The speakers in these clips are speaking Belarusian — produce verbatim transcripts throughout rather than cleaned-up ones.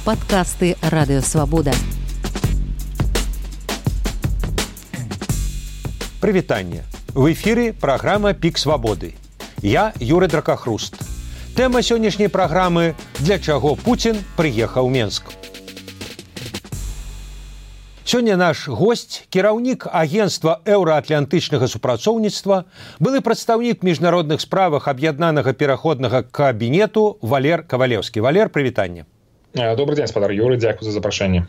Падкасты Радыёвабода. Прывітанне. В эфіры праграма «Пік свабоды». Я Юрый Дракахруст. Тэма сённяшняй праграмы «Для чаго Пуцін прыехаў у Менск». Сёння наш госць, кіраўнік агенцтва еўраатлантычнага супрацоўніцтва, былы прадстаўнік міжнародных справах аб'яднанага пераходнага кабінету Валер Кавалеўскі. Валер, прывітанне. Добрый день, спадар Юры, дзякую за запрашэнне.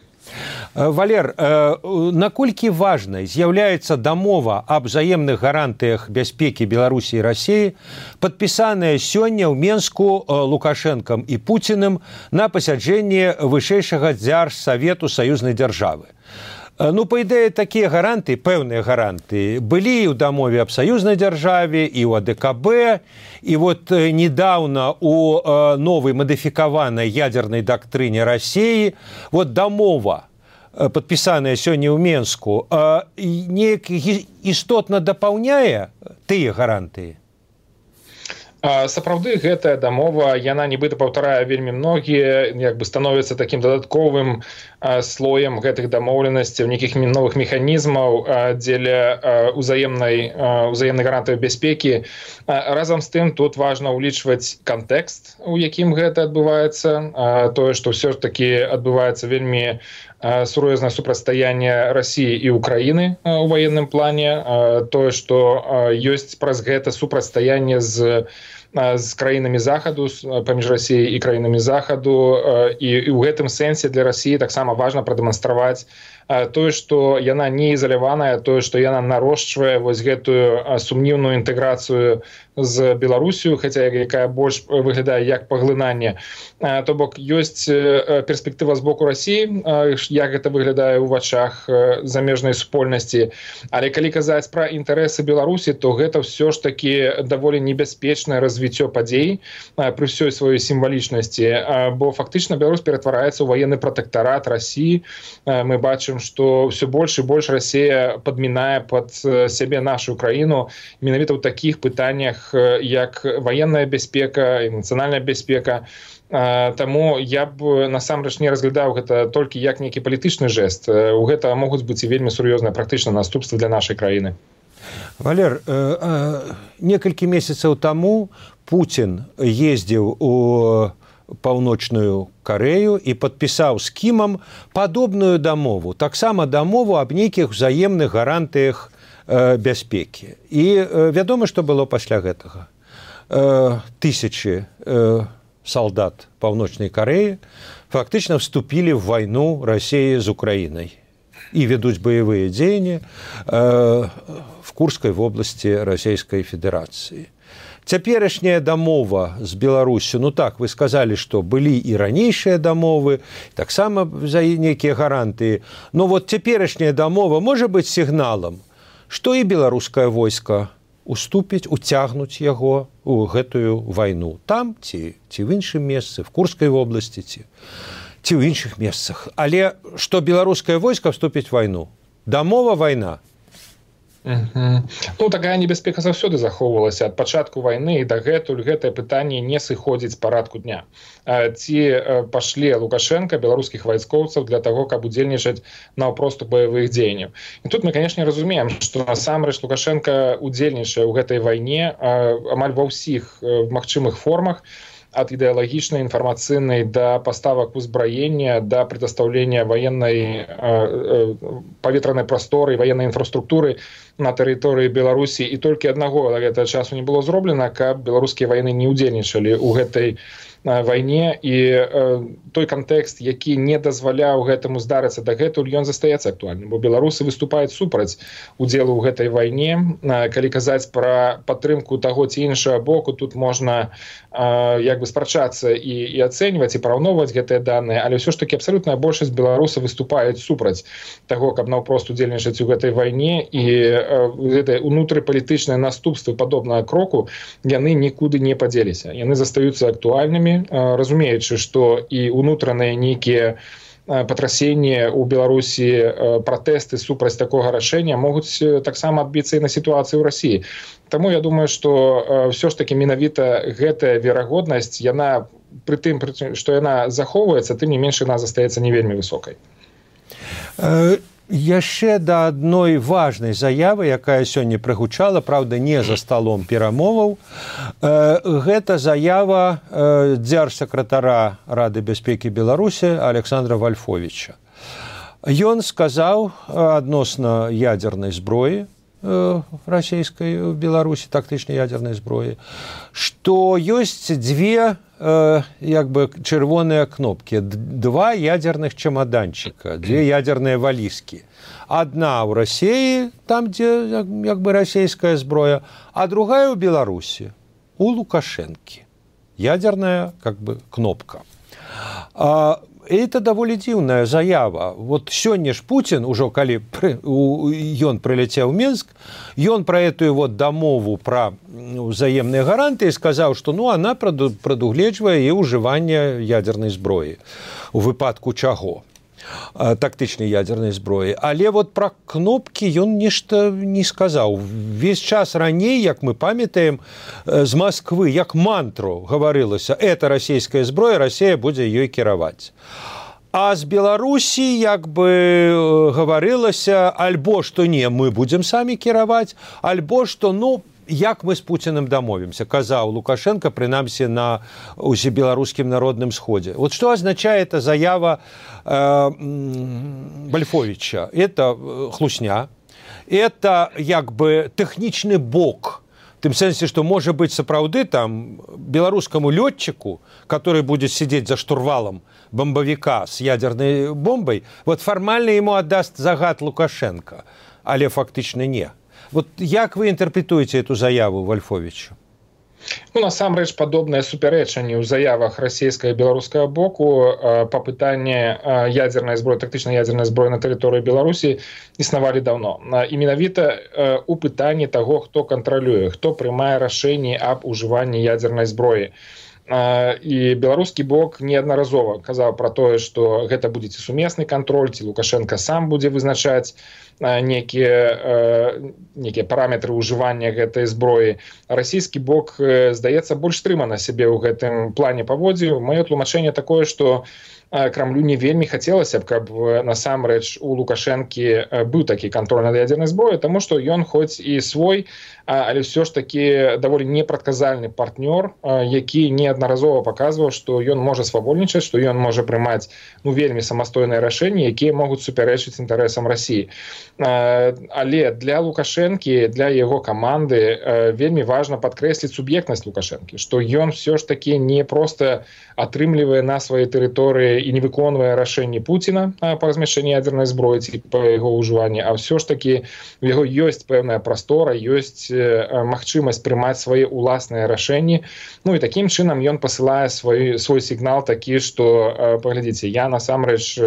Валер, наколькі важнай з'яўляецца дамова аб взаемных гарантыях бяспекі Беларусі і Расіі, падпісаная сёння ў Менску Лукашэнкам і Пуціным на пасяджэнні вышэйшага дзяржсавету саюзнай дзяржавы. Ну, па ідэі, такія гаранты, пэўныя гаранты, былі і ў дамове аб саюзнай дзяржаве, і ў АДКБ, і вот недавно у новай мадыфікаванай ядзернай дактрыне Расіі, вот дамова, падпісаная сёння ў Менску, неяк істотна дапаўняе тыя гарантыі? Сапраўды, гэтая дамова, яна нібыта паўтарае вельмі многія, як бы становіцца такім дадатковым слоем гэтых дамоўленасцяў, нейкіх новых механізмаў дзеля узаемнай, узаемнай гарантыі бяспекі. Разам з тым, тут важна ўлічваць кантэкст, у якім гэта адбываецца, тое, што ўсё ж такі адбываецца вельмі сур'ёзнае супрацьстаянне Расіі і Украіны у ваенным плане, тое, што ёсць праз гэта супрацьстаянне з з краінамі захаду, паміж Расіяй і краінамі захаду, і, і ў гэтым сэнсе для Расіі таксама важна прадэманстраваць тое, што яна не ізаляваная, тое, што яна нарошчвае вось гэтую сумнівную інтэграцыю з Беларусію, хаця якая больш выглядае як паглынанне. То бок ёсць перспектыва з боку Расіі, як гэта выглядае ў вачах замежнай супольнасці. Але калі казаць пра інтарэсы Беларусі, то гэта ўсё ж такі даволі небяспечнае развіццё падзей пры ўсёй сваёй сімвалічнасці, бо фактычна Беларусь ператвараецца ў военны пратэктарат Расіі. Мы бачым, што ўсё больш і больш Расія падмінае пад сябе нашу краіну менавіта ў такіх пытаннях, як военная бяспека і нацыянальная бяспека. Таму я б насамрэч не разглядаў гэта толькі як нейкі палітычны жэст. У гэта могуць быць і вельмі сур'ёзныя практычныя наступствы для нашай краіны. Валер, некалькі месяцаў таму Пуцін ездзіў у Паўночную Карэю і падпісаў з Кімам падобную дамову, таксама дамову аб нейкіх узаемных гарантыях бяспекі. І вядома, што было пасля гэтага. Тысячы салдат Паўночнай Карэі фактычна вступілі ў вайну Расіі з Украінай і вядуць баявыя дзеянні в Курскай вобласці Расійскай Федэрацыі. Цяперашняя дамова з Беларусю, ну так, вы сказалі, што былі і ранейшыя дамовы, таксама за нейкія гарантыі, но вот цяперашняя дамова можа быць сігналам, што і беларускае войска уступіць, уцягнуць яго ў гэтую вайну. Там ці, ці в іншым месцы, в Курскай вобласці, ці, ці ў іншых месцах. Але што беларускае войска вступіць в вайну? Дамова вайна. Uh-huh. Ну, такая небяспека заўсёды захоўвалася ад пачатку вайны, і дагэтуль гэтае пытанне не сыходзіць з парадку дня. Ці пашле Лукашенка беларускіх вайскоўцаў для таго, каб удзельнічаць наўпрост у баявых дзеянняў. І тут мы, канешне, разумеем, што насамрэч Лукашенка удзельнічае ў гэтай вайне амаль ва ўсіх магчымых формах, ад ідэалагічнай, інфармацыйнай да паставак узбраення, да прадастаўлення ваеннай паветранай прасторы, ваеннай інфраструктуры на тэрыторыі Беларусі. І толькі аднаго да гэтага часу не было зроблена, каб беларускія вайны не удзельнічалі ў гэтай вайне, і той кантэкст, які не дазваляў гэтаму здарыцца дагэтуль, ён застаецца актуальным, бо беларусы выступаюць супраць удзелу ў гэтай вайне. Калі казаць пра падтрымку таго ці іншага боку, тут можна як бы спрачацца і, і ацэньваць, і параўноўваць гэтыя даныя, але ўсё ж такі абсалютная большасць беларусаў выступаюць супраць таго, каб наўпрост удзельнічаць у гэтай вайне, і гэтыя унутрыпалітычныя наступствы падобнага кроку, яны нікуды не падзеліся. Яны застаюцца актуальнымі, разумеючы, што і ўнутраныя нейкія патрасенні ў Беларусі, пратэсты супраць такога рашэння могуць таксама адбіцца і на сітуацыі ў Расіі. Таму я думаю, што ўсё ж такі менавіта гэтая верагоднасць, яна пры тым, што яна захоўваецца, тым не менш яна застаецца не вельмі высокай. Яшчэ да адной важнай заявы, якая сёння прагучала, праўда, не за сталом перамоваў, гэта заява дзяржсакратара Рады бяспекі Беларусі Александра Вальфовіча. Ён сказаў адносна ядзернай зброі расійскай у Беларусі, тактычнай ядзернай зброі, што ёсць дзве як бы чырвоныя кнопкі, два ядзерных чемаданчыка, дзве ядзерныя валізкі. Адна ў Расіі, там, дзе як бы расійская зброя, а другая ў Беларусі, у Лукашэнкі. Ядзерная как бы кнопка. А это даволі дзіўная заява. Вот сёння ж Путін, ужо калі ён прыляцеў у Мінск, ён пра этую вот дамову пра ўзаемныя гарантыі сказаў, што ну, она прадугледжвае і ўжыванне ядзернай зброі. У выпадку чаго? Тактычнай ядзернай зброі. Але вот пра кнопкі ён нешта не сказаў. Весь час раней, як мы памятаем, з Масквы, як мантру гаварылася, это расійская зброя, Расія будзе ёй кіраваць. А з Беларусі як бы гаварылася, альбо што не, мы будзем самі кіраваць, альбо што, ну, як мы з Пуціным дамовімся, казаў Лукашенко, прынамсі на усебеларускім народным сходзе. Вот что означает эта заява э, Вальфовича? Это хлусня, это як бы тэхнічны бок, в тым сэнсе, што можа быць сапраўды там беларускаму лётчыку, который будет сидеть за штурвалом бомбовика с ядерной бомбой, вот формально ему отдаст загад Лукашенко, але фактычна не. Вот як вы інтэрпрэтуеце эту заяву Вальфовіча? Ну, насамрэч, падобныя супярэчанні ў заявах расійскага і беларускага боку па пытанні ядзернай зброі, тактычнай ядзернай зброі на тэрыторыі Беларусі існавалі даўно. І менавіта у пытанні таго, хто кантралюе, хто прымае рашэнні аб ужыванні ядзернай зброі. І беларускі бок неаднаразова казаў пра тое, што гэта будзе ці сумесны кантроль, ці Лукашенко сам будзе вызначаць некія, некія параметры ўжывання гэтай зброі. Расійскі бок, здаецца, больш стрымана сябе ў гэтым плане паводзіў. Маё тлумачэнне такое, што Крамлю не вельмі хацелася б, каб насамрэч у Лукашэнкі быў такі кантроль над ядзернай зброяй, таму што ён хоць і свой, але ўсё ж такі даволі непрадказальны партнёр, які неаднаразова паказваў, што ён можа свавольнічаць, што ён можа прымаць ну, вельмі самастойныя рашэнні, якія могуць супярэчыць інтарэсам Расіі. Але для Лукашэнкі, для яго каманды вельмі важна падкрэсліць суб'ектнасць Лукашэнкі, што ён ўсё ж такі не проста атрымлівае на сваёй тэрыторыі і не выконвае рашэнні Пуціна па размяшчэнні ядзернай зброі ці па яго ўжыванні, а ўсё ж такі у яго ёсць пэўная прастора, ёсць магчымасць прымаць свае ўласныя рашэнні. Ну і такім чынам ён пасылае свой, свой сігнал такі, што, паглядзіце, я насамрэч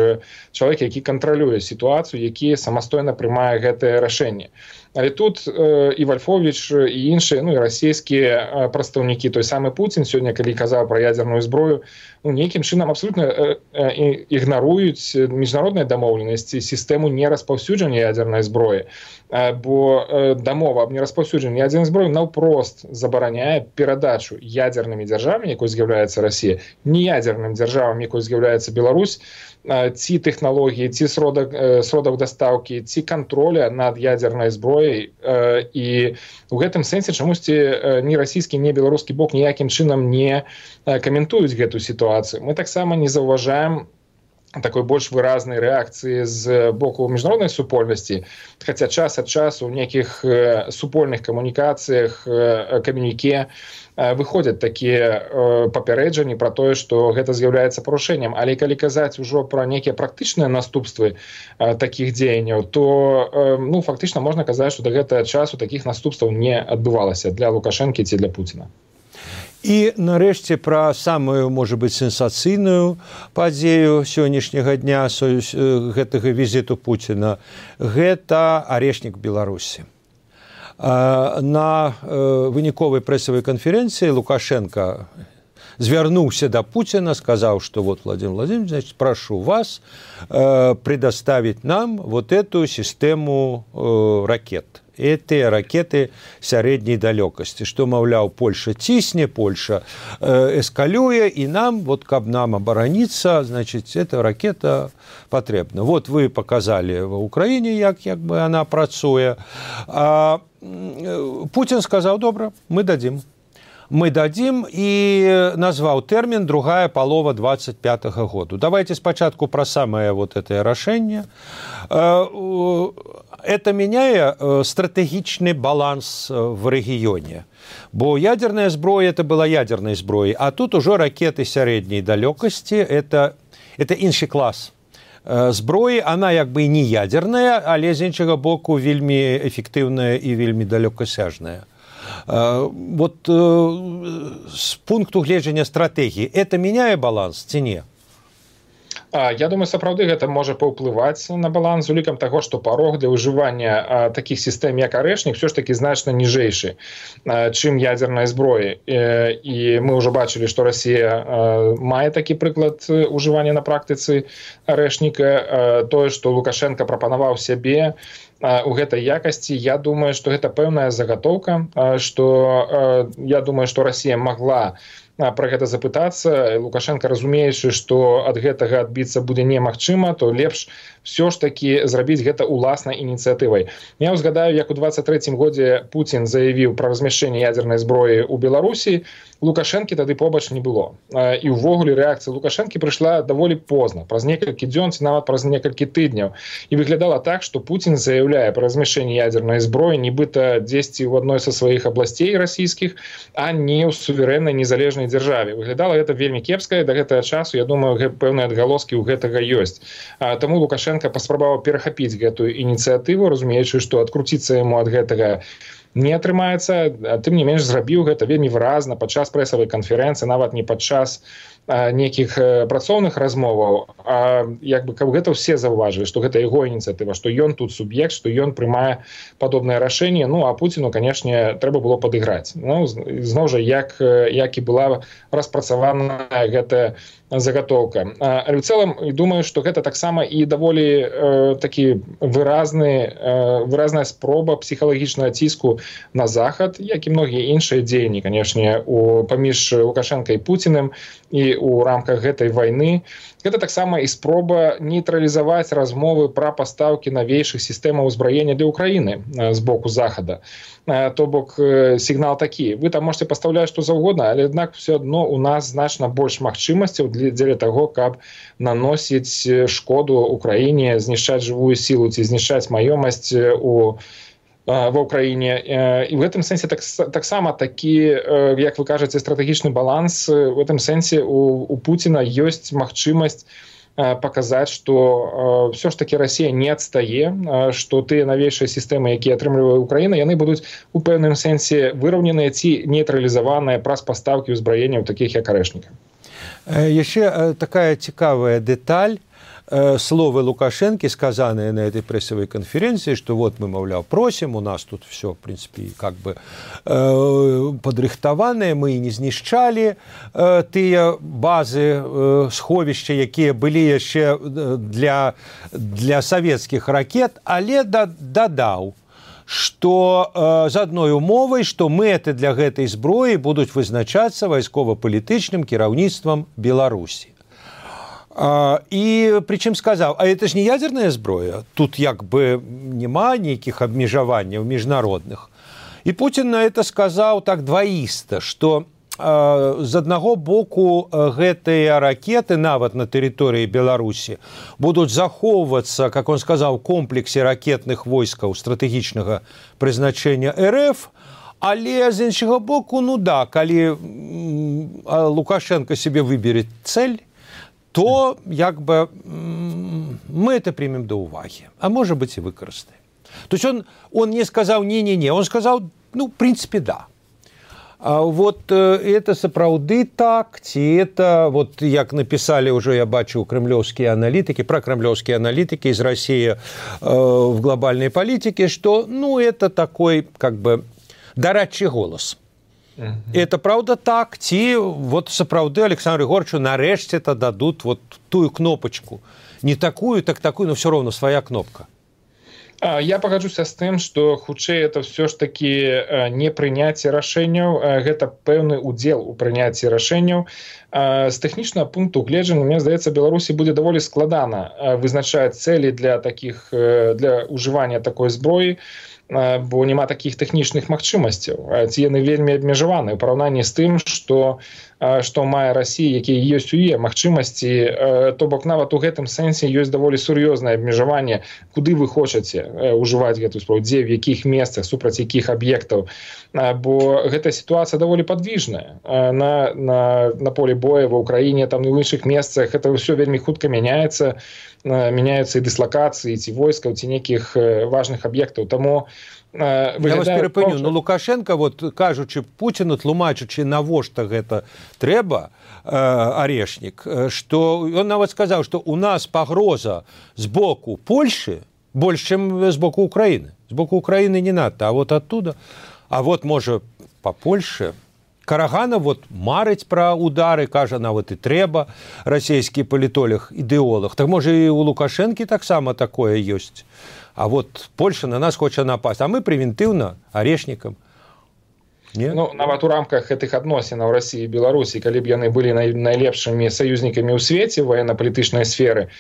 чалавек, які кантралюе сітуацыю, які самастойна прымае гэтае рашэнне. Але тут э, і Вальфовіч, і іншыя, ну і расійскія прадстаўнікі, той самы Пуцін сёння, калі казаў пра ядзерную зброю, ну, нейкім чынам абсолютна э, э, ігнаруюць міжнародныя дамоўленасці, сістэму нераспаўсюджання ядзернай зброі. Э, бо э, дамова аб нераспаўсюджанні ядзернай зброі наўпрост забараняе перадачу ядзернымі дзяржавамі, якой з'яўляецца Расія, неядзерным дзяржавам, якой з'яўляецца Беларусь, ці тэхналогіі, ці сродак, сродак дастаўкі, ці кантроля над ядзернай зброяй. І ў гэтым сэнсе чамусьці ні расійскі, ні беларускі бок ніякім чынам не каментуюць гэту сітуацыю. Мы таксама не заўважаем такой больш выразнай рэакцыі з боку міжнароднай супольнасці, хаця час ад часу ў нейкіх супольных камунікацыях, камюніке выходзяць такія папярэджанні пра тое, што гэта з'яўляецца парушэннем. Але калі казаць ужо пра нейкія практычныя наступствы такіх дзеянняў, то ну, фактычна можна казаць, што да гэтага часу такіх наступстваў не адбывалася для Лукашэнкі ці для Пуціна. І, нарэшце, пра самую, можа быць, сенсацыйную падзею сённяшняга дня гэтага візіту Пуціна – гэта арешнік Беларусі. На выніковай прэсавай канферэнцыі Лукашенко звярнуўся да Пуціна, сказаў, што вот, Владимир Владимирович, значит, прошу вас предоставить нам вот эту систему ракет это ракеты сярэдняй далёкасці, што, маўляў, Польша цісне, Польша э, эскалюе, і нам, вот, каб нам абараніцца, значит, эта ракета патрэбна. Вот вы показали в Украине, як, як бы она працуе. А Путин сказал: добра, мы дадим. Мы дадим, и назвал термин «другая полова двадцать пятого года». Давайте спочатку про самое вот это решение. Это меняет стратегичный баланс в регионе. Бо ядерная зброя – это была ядерной зброей, а тут уже ракеты средней далекости – это, это инший класс зброі. Она як бы не ядерная, але з іншага боку вельмі эффективная и вельмі далекосяжная. Вот с пункту гледжання стратегии это меняет баланс ці не? Я думаю, сапраўды гэта можа паўплываць на баланс з улікам таго, што парог для ўжывання такіх сістэм, як арэшнік, все ж таки значна ніжэйшы, чым ядернай зброі. І мы ўжо бачылі, што Расія мае такі прыклад ўжывання на практыцы арэшніка. Тое, што Лукашенко прапанаваў сябе у гэтай якасці, я думаю, што гэта пэўная загатоўка, што я думаю, што Расія магла про гэта запытацца. Лукашенко, разумеючы, што ад гэтага адбіцца будзе немагчыма, то лепш все ж таки зрабіць гэта уласнай ініцыятывай. Я ўзгадаю, як у двадцать третьем годзе Путин заявіў пра размяшчэнне ядернай зброі ў Беларусі. Лукашэнкі тады побач не было. І ўвогуле рэакцыя Лукашэнкі прыйшла даволі позна, праз некалькі дзён ці нават праз некалькі тыдняў. І выглядала так, што Путин заяўляе пра размяшчэнне ядернай зброі нібыта дзесьці ў адной са сваіх абласцей расійскіх, а не ў суверэннай незалежнай дзяржаве. Выглядала гэта вельмі кепска, і да гэтага часу, я думаю, пэўныя адгалоскі ў гэтага ёсць. Таму Лукашенко паспрабаваў перахапіць гэтую ініцыятыву, разумеючы, што адкруціцца яму ад гэтага не атрымаецца. Тым не менш, зрабіў гэта вельмі выразна падчас прэсавай канферэнцыі, нават не падчас нейкіх працоўных размоваў, а як бы каб гэта ўсе заўважылі, што гэта яго ініцыятыва, што ён тут суб'ект, што ён прымае падобнае рашэнне. Ну а Пуціну, канешне, трэба было падыграць. Ну, зноў жа, як, як і была распрацавана гэтая загатоўка. Але ў цэлым, думаю, што гэта таксама і даволі э, такі выразны, э, выразная спроба псіхалагічнага ціску на Захад, як і многія іншыя дзеянні, канешне, у паміж Лукашенко і Пуціным і у рамках гэтай вайны. Гэта таксама і спроба нейтралізаваць размовы пра пастаўкі навейшых сістэмаў узбраення для Украіны з боку Захада. То бок сігнал такі: вы там можете пастаўляць што заўгодна, але аднак все адно у нас значна больш магчымасцяў дзеля таго, каб наносіць шкоду Украіне, знішчаць жывую сілу ці знішчаць маёмасць у ва Украіне. І в гэтым сэнсе так, таксама такі, як вы кажаце, стратэгічны баланс. В гэтым сэнсе у, у Пуціна ёсць магчымасць показаць, што все ж таки Расія не адстае, што тыя навейшыя сістэмы, якія атрымлівае Украіна, яны будуць у пэўным сэнсе выраўненыя ці нейтралізаваныя праз пастаўкі ўзбраення ў такіх як арэшніка. Яшчэ такая цікавая дэталь. Словы Лукашенко, сказанные на этой прессовой конференции, что вот мы, мовляв, просим, у нас тут все, в принципе, как бы э, подрыхтаванное, мы не знішчали э, тыя базы, э, сховища, якія былі яшчэ для, для советских ракет, але дадаў, што э, з адной умовай, што мэты для гэтай зброі будуць вызначацца вайскова-палітычным кіраўніцтвам Беларусі. А, і причым сказаў, а это ж не ядерная зброя, тут як бы няма нейкіх абмежаванняў міжнародных. І Путін на это сказаў так дваіста, што а, з аднаго боку гэтыя ракеты нават на тэрыторыі Беларусі будуць захоўвацца, как он сказаў, комплексе ракетных войскаў стратэгічнага прызначэння РФ, але з іншага боку, ну да, калі Лукашенко себе выберет цель, то як бы мы это примем до уваги, а может быть и выкористаем. То есть он, он не сказал не-не-не, он сказал, ну, в принципе, да. А вот это сапраўды так, ці это, вот як написали уже, я бачу, кремлевские аналитики, прокремлевские аналитики из России э, в глобальной политике, что, ну, это такой, как бы, дорадчий голос. Mm-hmm. Это правда так, ці вот сапраўды Александру Егоровичу нарэшце-то дадут вот тую кнопочку. Не такую, так такую, но все равно своя кнопка. Я пагаджуся з тым, што хутчэй это ўсё ж такі не прыняцце рашэнняў, гэта пэўны ўдзел у прыняцці рашэнняў. З тэхнічнага пункту гледжання, мне здаецца, Беларусі будзе даволі складана вызначаць цэлі для такіх для ўжывання такой зброі, бо няма такіх тэхнічных магчымасцяў. Ці яны вельмі абмежаваны ў параўнанні з тым, што што мае Расія, якія ёсць у яе магчымасці, то бок нават у гэтым сэнсе ёсць даволі сур'ёзнае абмежаванне, куды вы хочаце ўжываць гэтую зброю, дзе, в якіх месцах, супраць якіх аб'ектаў, бо гэтая сітуацыя даволі падвіжная. На, на, на полі боя ва ўкраіне, там і ў іншых месцах гэта ўсё вельмі хутка мяняецца, мяняюцца і дыслакацыі, ці войскаў, ці нейкіх важных аб'ектаў. Таму Я вас перапыню, ну Лукашенко, вот кажучы Пуціну, тлумачучы, навошта гэта трэба, э, арешнік, што ён нават сказаў, што у нас пагроза з боку Польшы больш, чым з боку Украіны. З боку Украіны не надта, а вот оттуда. А вот, можа, па Польшы. Карагана вот марыць пра удары, кажа, нават і трэба, расійскі палітолог, ідэолог. Так можа і у Лукашэнкі таксама такое ёсць. А вот Польша на нас хоча напасть, а мы превентыўна арешнікам. Не? Ну, нават у рамках гэтых адносінаў Расіі і Беларусі, калі б яны былі най, найлепшымі саюзнікамі ў свеце ваенна-палітычнай сферы,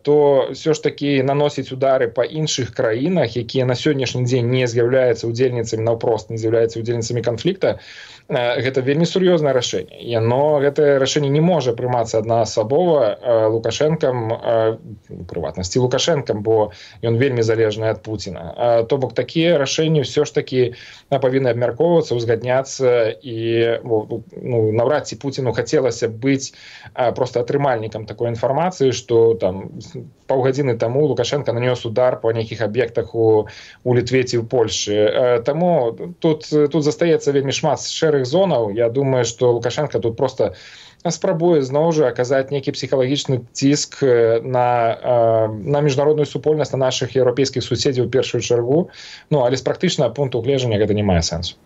то ўсё ж такі наносіць удары па іншых краінах, якія на сённяшні дзень не з'яўляюцца удзельніцамі, наўпрост не з'яўляюцца удзельніцамі канфлікта, гэта вельмі сур'ёзнае рашэнне. Яно, гэтае рашэнне не можа прымацца аднаасабова Лукашэнкам, прыватнасці Лукашэнкам, бо ён вельмі залежны ад Пуціна. То бок такія рашэнні ўсё ж такі павінны абмяркоўвацца, узгадняцца, і ну, наўрад ці Пуціну хацелася быць проста атрымальнікам такой інфармацыі, што там паўгадзіны таму Лукашенко нанёс удар па нейкіх аб'ектах у, у Літве ці ў Польшы. Таму тут, тут застаецца вельмі шмат шэрых зонаў. Я думаю, што Лукашенко тут проста спрабуе зноў жа аказаць нейкі псіхалагічны ціск на, на міжнародную супольнасць, на нашых еўрапейскіх суседзяў у першую чаргу. Ну, але з практычнага пункту гледжання гэта не мае сэнсу.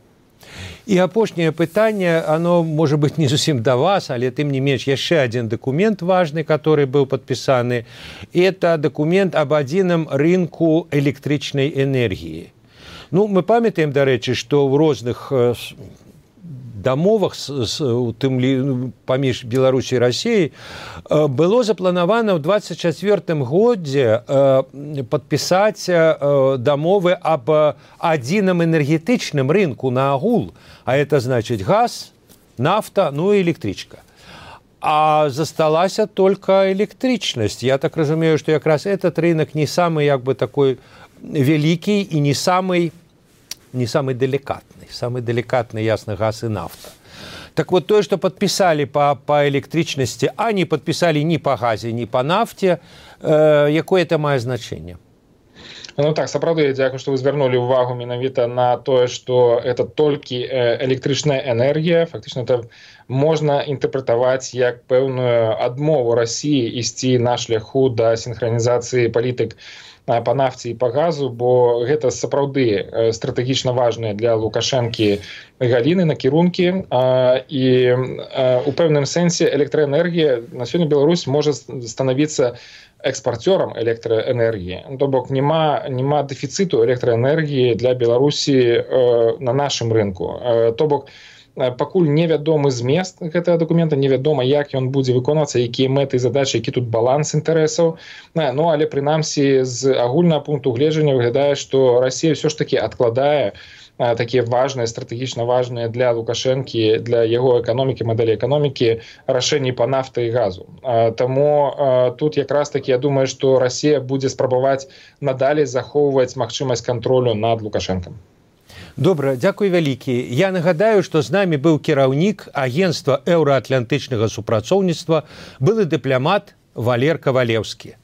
І апошняе пытанне, оно, можа быць, не зусім да вас, але тым не менш яшчэ адзін дакумент важны, который быў падпісаны. Это дакумент об адзіным рынку электрычнай энергіі. Ну, мы памятаем, дарэчы, што ў розных дамовах з, у тым паміж Беларусі і Расіяй было запланавана ў двадцать чацвёртым годзе падпісаць дамовы аб адзіным энергетычным рынку на агул, а это значыць газ, нафта, ну і электрычка. А засталася только электрычнасць. Я так разумею, што якраз этот рынок не самый як бы такой вялікі і не самый не самый деликатный. Самый деликатный, ясно, газ и нафта. Так вот, то, что подписали по, по электричности, а не подписали ни по газе, ни по нафте, э, якое это мае значение? Ну так, сапраўды, дзякую, што вы звярнулі ўвагу менавіта на тое, што это толькі электрычная энергія. Фактычна это можна інтэрпрэтаваць як пэўную адмову Расіі ісці на шляху да сінхранізацыі палітык па нафце і па газу, бо гэта сапраўды стратэгічна важныя для Лукашэнкі галіны, накірункі, і у пэўным сэнсе электраэнергія на сёння Беларусь можа станавіцца экспарцёрам электраэнергіі. То бок няма, няма дэфіцыту электраэнергіі для Беларусі на нашым рынку. То бок пакуль невядомы змест гэтага дакумента, невядома, як ён будзе выконвацца, якія мэты і задачы, які тут баланс інтарэсаў. Ну, але прынамсі з агульнага пункту гледжання выглядае, што Расія ўсё ж такі адкладае такія важныя, стратэгічна важныя для Лукашэнкі, для яго эканомікі, мадэлі эканомікі рашэнні па нафты і газу. Таму тут якраз такі, я думаю, што Расія будзе спрабаваць надалей захоўваць магчымасць кантролю над Лукашэнкам. Добра, дзякуй вялікі. Я нагадаю, што з намі быў кіраўнік агенцтва еўраатлантычнага супрацоўніцтва, былы дыпламат Валер Кавалеўскі.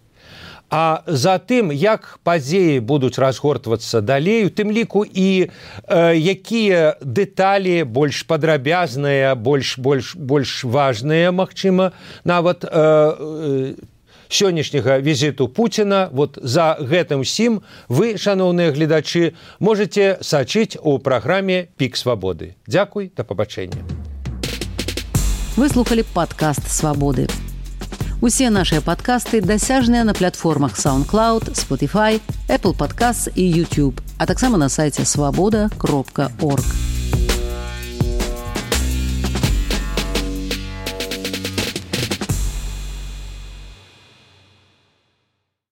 А за тым, як падзеі будуць разгортвацца далей, у тым ліку і э, якія дэталі больш падрабязныя, больш, больш, больш важныя, магчыма, нават э, э, сённяшняга візіту Пуціна, вот за гэтым усім вы, шаноўныя гледачы, можете сачыць у праграме «Пік свабоды». Дзякуй, да пабачэння. Вы слухали падкаст «Свабоды». Усе нашыя падкасты дасяжныя на платформах SoundCloud, Spotify, Apple Podcasts і YouTube, а таксама на сайце свабода кропка орг.